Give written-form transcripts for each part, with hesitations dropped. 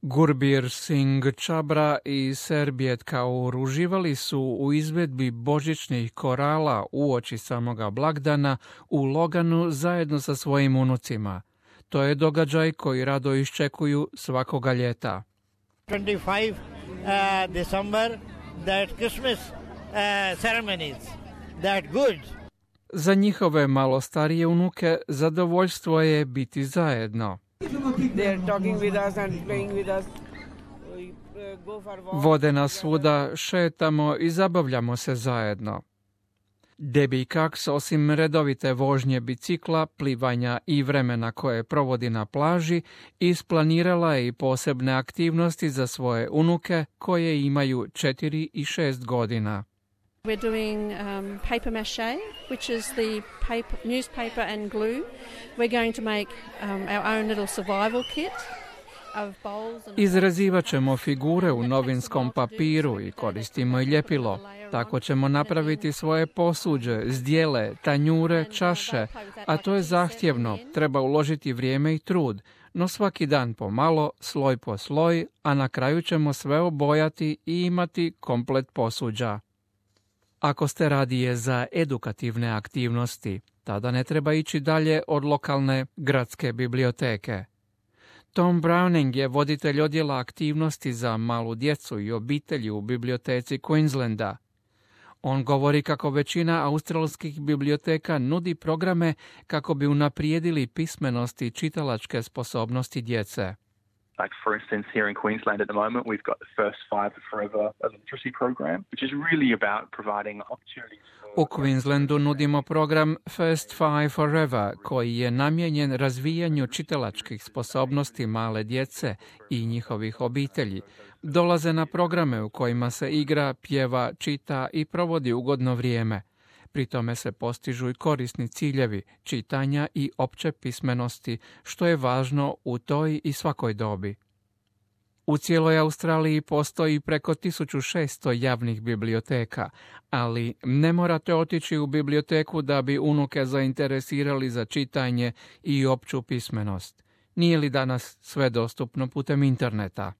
Gurbir Singh Chabra i Serbiet Kaur uživali su u izvedbi božićnih korala uoči samoga blagdana u Loganu zajedno sa svojim unucima. To je događaj koji rado iščekuju svakoga ljeta. 25 December, that Christmas ceremonies, that good. Za njihove malo starije unuke zadovoljstvo je biti zajedno. Vode nas svuda, šetamo i zabavljamo se zajedno. Debbie Cox, osim redovite vožnje bicikla, plivanja i vremena koje provodi na plaži, isplanirala je i posebne aktivnosti za svoje unuke koje imaju 4 i 6 godina. We're doing paper mache, which is the newspaper and glue. We're going to make our own little survival kit of bowls and... Izrazivat ćemo figure u novinskom papiru i koristimo i ljepilo. Tako ćemo napraviti svoje posuđe, zdjele, tanjure, čaše, a to je zahtjevno, treba uložiti vrijeme i trud, no svaki dan pomalo, sloj po sloj, a na kraju ćemo sve obojati i imati komplet posuđa. Ako ste radije za edukativne aktivnosti, tada ne treba ići dalje od lokalne gradske biblioteke. Tom Browning je voditelj odjela aktivnosti za malu djecu i obitelji u biblioteci Queenslanda. On govori kako većina australskih biblioteka nudi programe kako bi unaprijedili pismenost i čitalačke sposobnosti djece. Like, for instance, here in Queensland at the moment, we've got the First Five Forever literacy program, which is really about providing opportunities. U Queenslandu nudimo program First Five Forever, koji je namijenjen razvijanju čitalačkih sposobnosti male djece i njihovih obitelji. Dolaze na programe u kojima se igra, pjeva, čita i provodi ugodno vrijeme. Pri tome se postižu i korisni ciljevi čitanja i opće pismenosti, što je važno u toj i svakoj dobi. U cijeloj Australiji postoji preko 1600 javnih biblioteka, ali ne morate otići u biblioteku da bi unuke zainteresirali za čitanje i opću pismenost. Nije li danas sve dostupno putem interneta?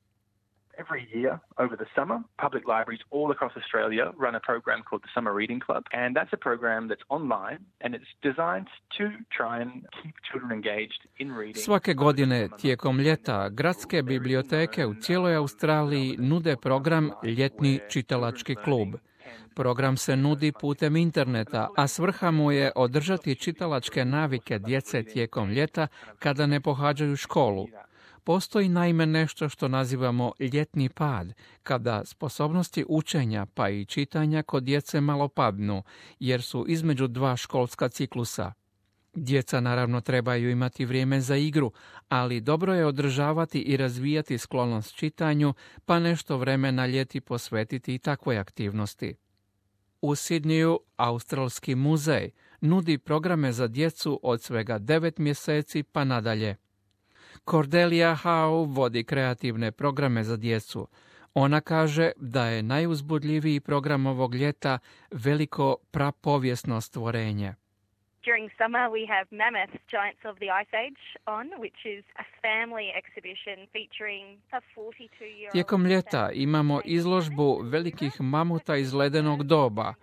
Every year over the summer, public libraries all across Australia run a program called the Summer Reading Club, and that's a program that's online and it's designed to try and keep children engaged in reading. Svake godine tijekom ljeta gradske biblioteke u cijeloj Australiji nude program Ljetni čitalački klub. Program se nudi putem interneta, a svrha mu je održati čitalačke navike djece tijekom ljeta kada ne pohađaju školu. Postoji naime nešto što nazivamo ljetni pad, kada sposobnosti učenja pa i čitanja kod djece malo padnu, jer su između dva školska ciklusa. Djeca naravno trebaju imati vrijeme za igru, ali dobro je održavati i razvijati sklonost čitanju, pa nešto vremena ljeti posvetiti i takvoj aktivnosti. U Sidneju Australski muzej nudi programe za djecu od svega 9 mjeseci pa nadalje. Cordelia Howe vodi kreativne programe za djecu. Ona kaže da je najuzbudljiviji program ovog ljeta veliko prapovijesno stvorenje. During summer we have Mammoth, Giants of the Ice Age on, which is a family exhibition featuring a 42-year-old... Tijekom ljeta imamo izložbu velikih mamuta iz ledenog doba.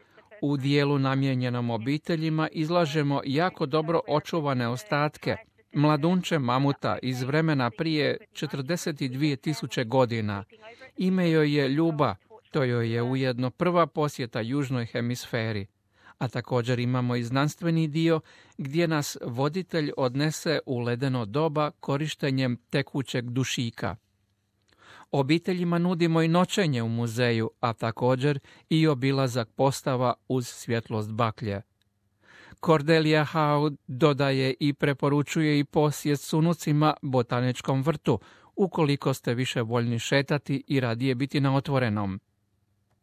U dijelu namijenjenom obiteljima izlažemo jako dobro očuvane ostatke, mladunče mamuta iz vremena prije 42.000 godina. Ime joj je Ljuba, to joj je ujedno prva posjeta južnoj hemisferi. A također imamo i znanstveni dio gdje nas voditelj odnese u ledeno doba korištenjem tekućeg dušika. Obiteljima nudimo i noćenje u muzeju, a također i obilazak postava uz svjetlost baklje. Cordelia Howe dodaje i preporučuje i posjet s unucima botaničkom vrtu, ukoliko ste više voljni šetati i radije biti na otvorenom.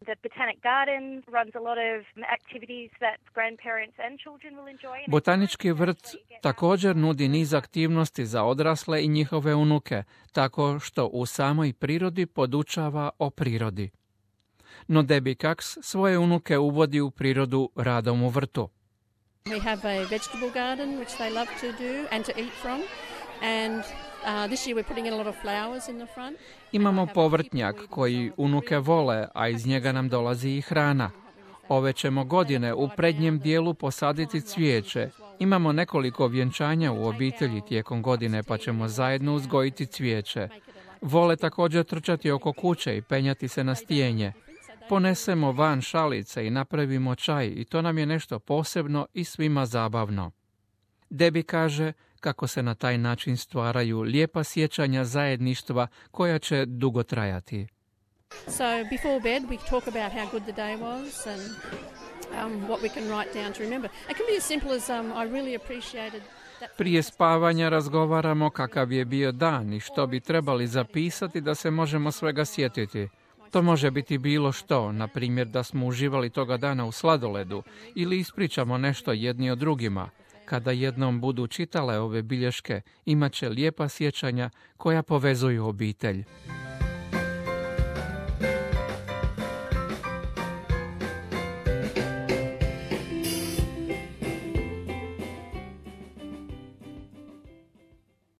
The Botanic Garden runs a lot of activities that grandparents and children will enjoy. Botanički vrt također nudi niz aktivnosti za odrasle i njihove unuke, tako što u samoj prirodi podučava o prirodi. No Debbie Cox svoje unuke uvodi u prirodu radom u vrtu. We have a vegetable garden which they love to do and to eat from, and This year we're putting in a lot of flowers in the front. Imamo povrtnjak koji unuke vole, a iz njega nam dolazi i hrana. Ove ćemo godine u prednjem dijelu posaditi cvijeće. Imamo nekoliko vjenčanja u obitelji tijekom godine, pa ćemo zajedno uzgojiti cvijeće. Vole također trčati oko kuće i penjati se na stijenje. Ponesemo van šalice i napravimo čaj i to nam je nešto posebno i svima zabavno. Debbie kaže kako se na taj način stvaraju lijepa sjećanja zajedništva koja će dugo trajati. So before bed we talk about how good the day was and what we can write down to remember. It can be as simple as I really appreciated that. Prije spavanja razgovaramo kakav je bio dan i što bi trebali zapisati da se možemo svega sjetiti. To može biti bilo što, na primjer da smo uživali toga dana u sladoledu ili ispričamo nešto jedni o drugima. Kada jednom budu čitale ove bilješke, imat će lijepa sjećanja koja povezuju obitelj.